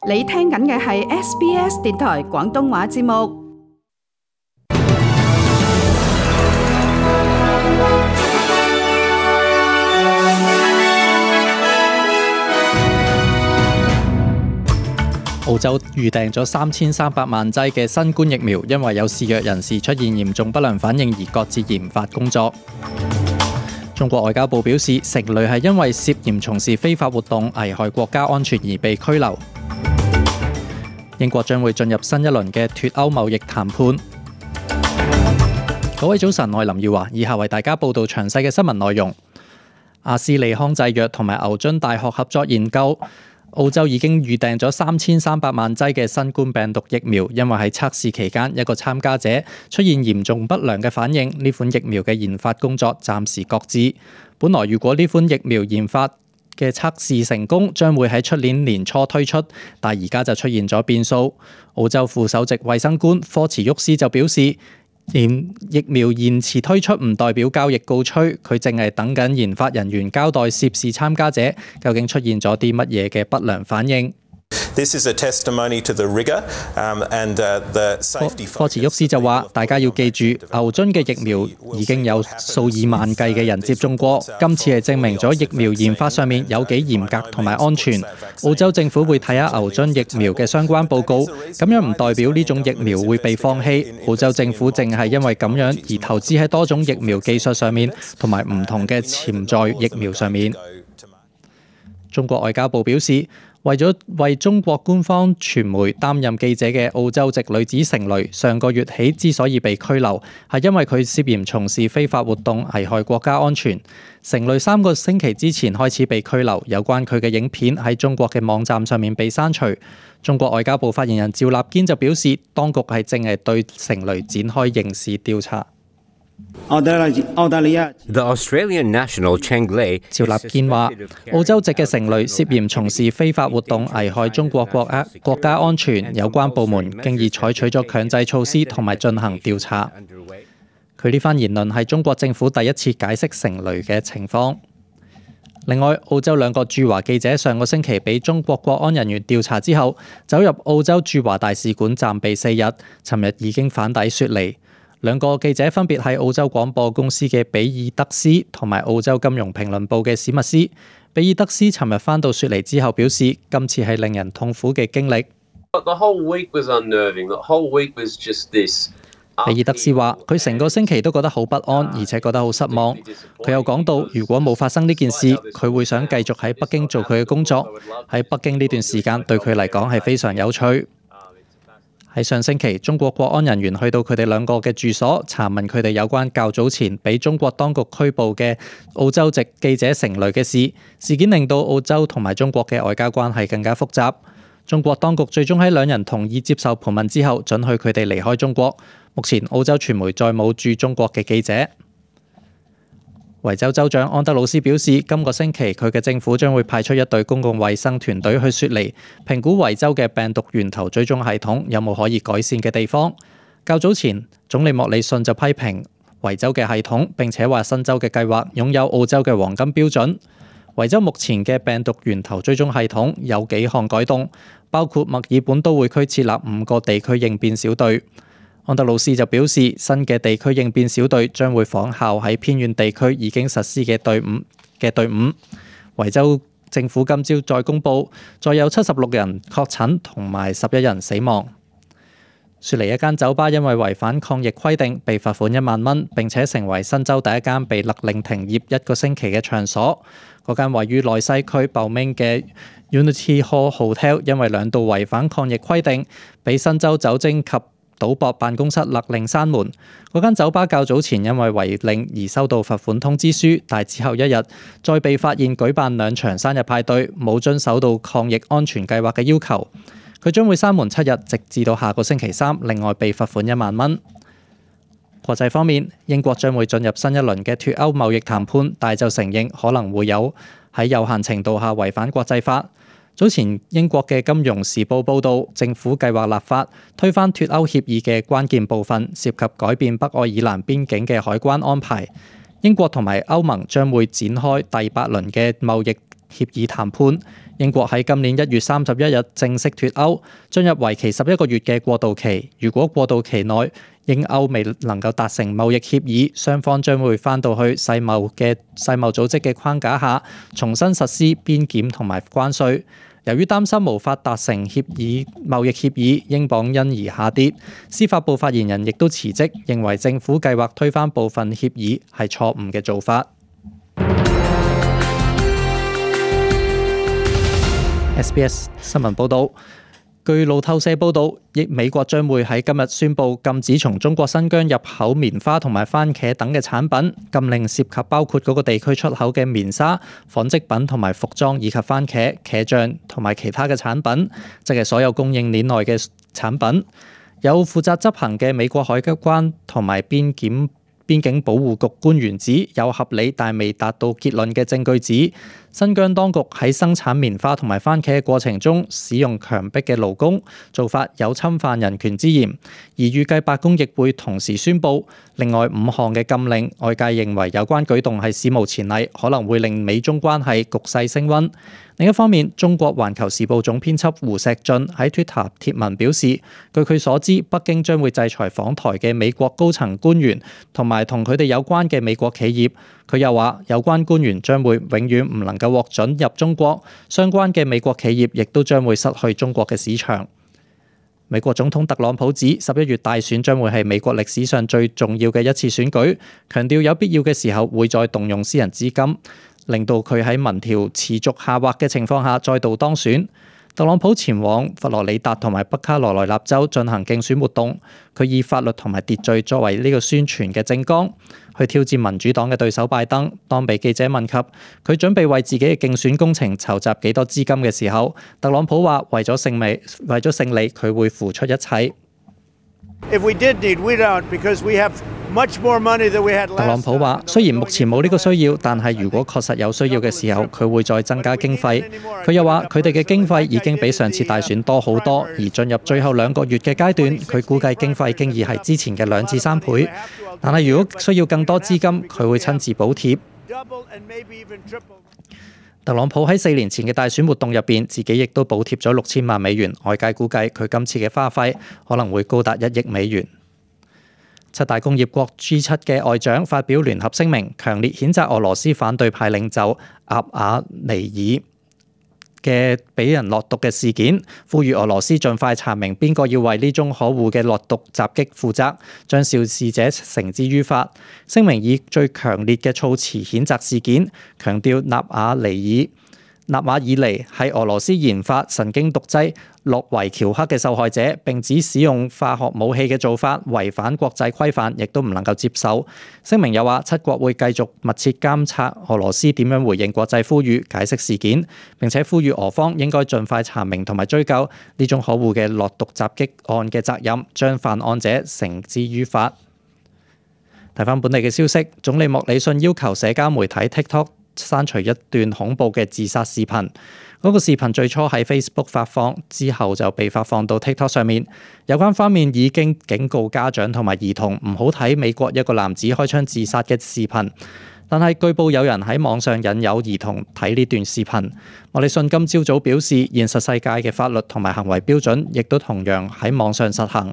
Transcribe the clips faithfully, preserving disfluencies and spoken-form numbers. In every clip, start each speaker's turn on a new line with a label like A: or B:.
A: 你聽緊嘅係 S B S 電台廣東話節目。
B: 澳洲預訂咗三千三百萬劑嘅新冠疫苗，因為有肆虐人士出現嚴重不良反應而擱置研發工作。中國外交部表示，成蕾係因為涉嫌從事非法活動危害國家安全而被拘留。英國將會進入新一輪嘅脫歐貿易談判。各位早晨，我係林耀華，以下為大家報道詳細嘅新聞內容。阿斯利康製藥同埋牛津大學合作研究，澳洲已經預訂咗三千三百萬劑嘅新冠病毒疫苗，因為喺測試期間一個參加者出現嚴重不良嘅反應，呢款疫苗嘅研發工作暫時擱置。本來如果呢款疫苗研發嘅測試成功，將會喺出年年初推出，但而家就出現咗變數。澳洲副首席衛生官科茨沃斯就表示，疫苗延遲推出唔代表交易告吹，佢淨係等緊研發人員交代涉事參加者究竟出現咗啲乜嘢嘅不良反應。
C: This is a testimony to the rigor, um, and the safety.
B: 科茨沃斯就話：大家要記住，牛津嘅疫苗已經有數以萬計嘅人接種過，今次係證明咗疫苗研發上面有幾嚴格同埋安全。澳洲政府會睇下牛津疫苗嘅相關報告，咁樣唔代表呢種疫苗會被放棄。澳洲政府淨係因為咁樣而投資喺多種疫苗技術上面，同埋唔同嘅潛在疫苗上面。中國外交部表示，為咗為中國官方傳媒擔任記者嘅澳洲籍女子成蕾，上個月起之所以被拘留，係因為佢涉嫌從事非法活動，危害國家安全。成蕾三個星期之前開始被拘留，有關佢嘅影片喺中國嘅網站上面被刪除。中國外交部發言人趙立堅就表示，當局係正係對成蕾展開刑事調查。
D: 澳大利亞
E: The Australian National Cheng Lei
B: 趙立堅話：澳洲籍嘅成蕾涉嫌從事非法活動，危害中國國家國家安全，有關部門經已採取咗強制措施同埋進行調查。佢呢番言論係中國政府第一次解釋成蕾嘅情況。另外，澳洲兩個駐華記者上個星期被中國國安人員調查之後，走入澳洲駐華大使館暫避四日，尋日已經返抵雪梨。兩個記者分別係澳洲廣播公司嘅比爾德斯同埋澳洲金融評論報嘅史密斯。比爾德斯尋日返到雪梨之後表示，今次係令人痛苦嘅經歷。
F: The whole week was unnerving. The whole week was just this.
B: 比爾德斯話：佢成個星期都覺得好不安，而且覺得好失望。佢又講到，如果冇發生呢件事，佢會想繼續喺北京做佢嘅工作。喺北京呢段時間對佢嚟講係非常有趣。喺上星期，中國國安人員去到佢哋兩個嘅住所，查問佢哋有關較早前被中國當局拘捕嘅澳洲籍記者成蕾嘅事。事件令到澳洲同埋中國嘅外交關係更加複雜。中國當局最終喺兩人同意接受盤問之後，准許佢哋離開中國。目前澳洲傳媒再冇駐中國嘅記者。維州州長安德魯斯表示，今個星期佢嘅政府將會派出一隊公共衛生團隊去雪梨，評估維州嘅病毒源頭追蹤系統有冇可以改善嘅地方。較早前，總理莫里遜就批評維州嘅系統，並且話新州嘅計劃擁有澳洲嘅黃金標準。維州目前嘅病毒源頭追蹤系統有幾項改動，包括墨爾本都會區設立五個地區應變小隊。安德魯斯就表示，新嘅地區應變小隊將會仿效喺偏遠地區已經實施嘅隊伍嘅隊伍。維州政府今朝再公布，再有七十六人確診同埋十一人死亡。雪梨一間酒吧因為違反抗疫規定，被罰款一萬蚊，並且成為新州第一間被勒令停業一個星期嘅場所。嗰間位於內西區鮑明嘅 Unity Hall Hotel 因為兩度違反抗疫規定，被新州酒精及賭博辦公室勒令閂門。嗰間酒吧較早前因為違令而收到罰款通知書，但之後一日再被發現舉辦兩場生日派對，冇遵守到抗疫安全計劃嘅要求。佢將會閂門七日，直至到下個星期三。另外被罰款一萬蚊。國際方面，英國將會進入新一輪嘅脫歐貿易談判，但就承認可能會有喺有限程度下違反國際法。早前英國嘅《金融時報》報導，政府計劃立法推翻脫歐協議嘅關鍵部分，涉及改變北愛爾蘭邊境嘅海關安排。英國同埋歐盟將會展開第八輪嘅貿易協議談判。英國喺今年一月三十一日正式脫歐，進入為期十一個月嘅過渡期。如果過渡期內英歐未能夠達成貿易協議，雙方將會返到去世貿嘅世貿組織嘅框架下，重新實施邊檢同埋關稅。由於擔心無法達成協議貿易協議，英鎊因而下跌。司法部發言人亦都辭職，認為政府計劃推翻部分協議係錯誤嘅做法。S B S 新聞報導，據路透社報導，亦美國將會喺今日宣布禁止從中國新疆入口棉花同埋番茄等嘅產品，禁令涉及包括嗰個地區出口嘅棉紗、紡織品同埋服裝，以及番茄、茄醬同埋其他嘅產品，即係所有供應鏈內嘅產品。有負責執行嘅美國海關同埋邊檢邊境保護局官員指，有合理但未達到結論嘅證據指，新疆當局喺生產棉花同埋番茄嘅過程中使用強迫嘅勞工，做法有侵犯人權之嫌。而預計白宮亦會同時宣布另外五項嘅禁令，外界認為有關舉動係史無前例，可能會令美中關係局勢升溫。另一方面，中國環球時報總編輯胡錫進喺 Twitter 貼文表示，據佢所知，北京將會制裁訪台嘅美國高層官員同埋同佢哋有關嘅美國企業。佢又話，有關官員將會永遠唔能夠獲准入中國，相關嘅美國企業亦都將會失去中國嘅市場。美國總統特朗普指，十一月大選將會係美國歷史上最重要嘅一次選舉，強調有必要嘅時候會再動用私人資金，令到佢喺民調持續下滑嘅情況下再度當選。特朗普前往佛羅里達同埋北卡羅來納州進行競選活動，佢以法律同埋秩序作為呢個宣傳嘅政綱，去挑戰民主黨嘅對手拜登。當被記者問及佢準備為自己嘅競選工程籌集幾多資金嘅時候，特朗普話為咗勝利，為咗勝利，佢會付出一切。
G: If we did need, we don't, because we have much more money than we had last time.
B: 特朗普話：雖然目前冇呢個需要，但係如果確實有需要嘅時候，佢會再增加經費。佢又話：佢哋嘅經費已經比上次大選多好多，而進入最後兩個月嘅階段，佢估計經費經已係之前嘅兩至三倍。但係如果需要更多資金，佢會親自補貼。特朗普喺四年前嘅大選活動入邊，自己亦都補貼咗六千萬美元。外界估計佢今次嘅花費可能會高達一億美元。七大工業國 G 七嘅外長發表聯合聲明，強烈譴責俄羅斯反對派領袖阿瓦尼爾嘅俾人落毒嘅事件，呼籲俄羅斯盡快查明邊個要為呢宗可惡嘅落毒襲擊負責，將肇事者繩之於法。聲明以最強烈嘅措辭譴責事件，強調納瓦尼爾納瓦爾尼係俄羅斯研發神經毒劑諾維喬克嘅受害者，並指使用化學武器嘅做法違反國際規範，亦都唔能夠接受。聲明又話，七國會繼續密切監察俄羅斯點樣回應國際呼籲，解釋事件，並且呼籲俄方應該盡快查明同埋追究呢種可惡嘅落毒襲擊案嘅責任，將犯案者繩之於法。睇返本地嘅消息，總理莫里遜要求社交媒體 TikTok刪除一段恐怖嘅自殺視頻。嗰個視頻最初喺 Facebook 發放，之後就被發放到 TikTok 上面。有關方面已經警告家長同埋兒童唔好睇美國一個男子開槍自殺嘅視頻。但係據報有人喺網上引誘兒童睇呢段視頻。莫里遜今朝早表示，現實世界嘅法律同埋行為標準亦都同樣喺網上實行。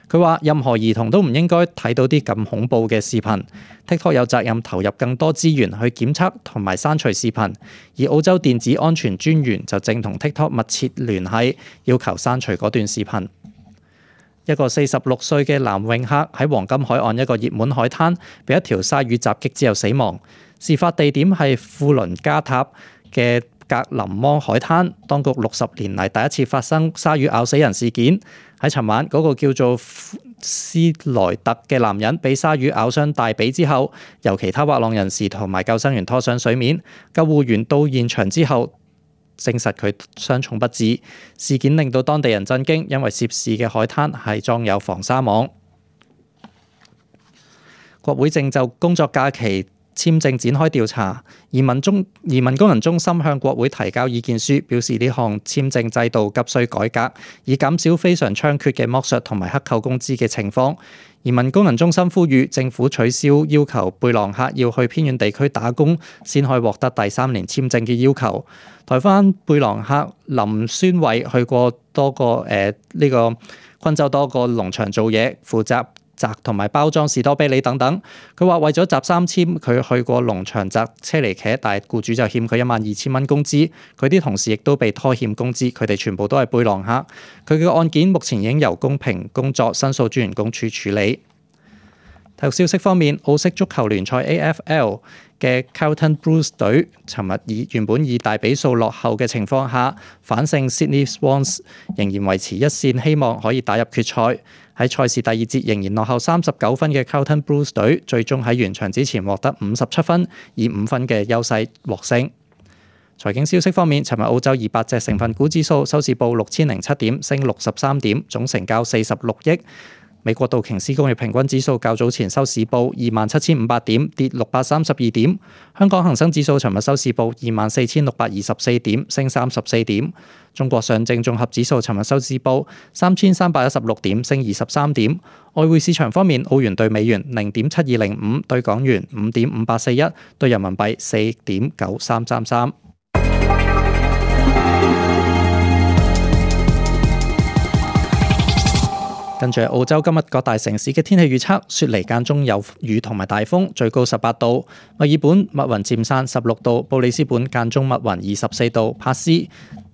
B: 佢話：任何兒童都唔應該睇到啲咁恐怖嘅視頻。TikTok 有責任投入更多資源去檢測同埋刪除視頻，而澳洲電子安全專員就正同 TikTok 密切聯繫，要求刪除嗰段視頻。一個四十六歲嘅男泳客喺黃金海岸一個熱門海灘，被一條鯊魚襲擊之後死亡。事發地點係富倫加塔嘅格林芒海灘，當局六十年嚟第一次發生鯊魚咬死人事件。喺尋晚，嗰、那個叫做斯萊特嘅男人被鯊魚咬傷大髀之後，由其他滑浪人士同埋救生員拖上水面。救護員到現場之後，證實佢傷重不治。事件令到當地人震驚，因為涉事嘅海灘係裝有防鯊網。國會正就工作假期簽證展開調查。移民中移民工人中心向國會提交意見書，表示呢項簽證制度急需改革，以減少非常猖獗嘅剝削同埋克扣工資嘅情況。移民工人中心呼籲政府取消要求貝朗克要去偏遠地區打工先可以獲得第三年簽證嘅要求。台灣貝朗克林宣偉去過多個誒呢、呃這個昆州多個農場做嘢，負責摘同埋包裝士多啤梨等等。佢話為咗集三簽，佢去過農場摘車厘茄，但係僱主就欠佢一萬二千蚊工資。佢啲同事亦都被拖欠工資，佢哋全部都係貝朗克。佢嘅案件目前已經由公平工作申訴專員公署處理。體育消息方面，澳式足球聯賽 A F L 嘅 Carlton Blues 隊，尋日以原本以大比數落後嘅情況下，反勝 Sydney Swans， 仍然維持一線希望可以打入決賽。喺賽事第二節仍然落後三十九分嘅 Carlton Blues 隊，最終喺完場之前獲得五十七分，以五分嘅優勢獲勝。財經消息方面，尋日澳洲二百隻成分股指數收市報六千零七點，升六十三點，總成交四十六億。美國道瓊斯工業平均指數較早前收市報二萬七千五百點，跌六百三十二點。香港恒生指數尋日收市報二萬四千六百二十四點，升三十四點。中國上證綜合指數尋日收市報三千三百一十六點，升二十三點。外匯市場方面，澳元對美元零點七二零五，對港元五點五八四一，對人民幣四點九三三三。跟住澳洲今日各大城市嘅天氣預測，雪梨間中有雨同埋大風，最高十八度；墨爾本密雲漸散十六度；布里斯本間中密雲二十四度；帕斯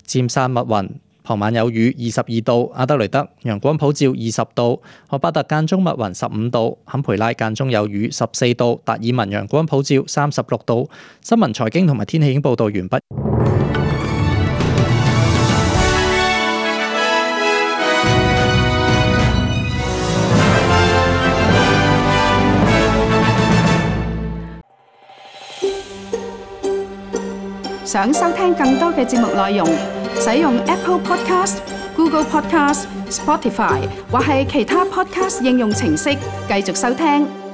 B: 漸散密雲，傍晚有雨二十二度；阿德雷德陽光普照二十度；荷巴特間中密雲十五度；坎培拉間中有雨十四度；達爾文陽光普照三十六度。新聞財經同埋天氣已經報道完畢。
A: 想收聽更多嘅節目內容，使用 Apple Podcast、Google Podcast、Spotify 或係其他 Podcast 應用程式繼續收聽。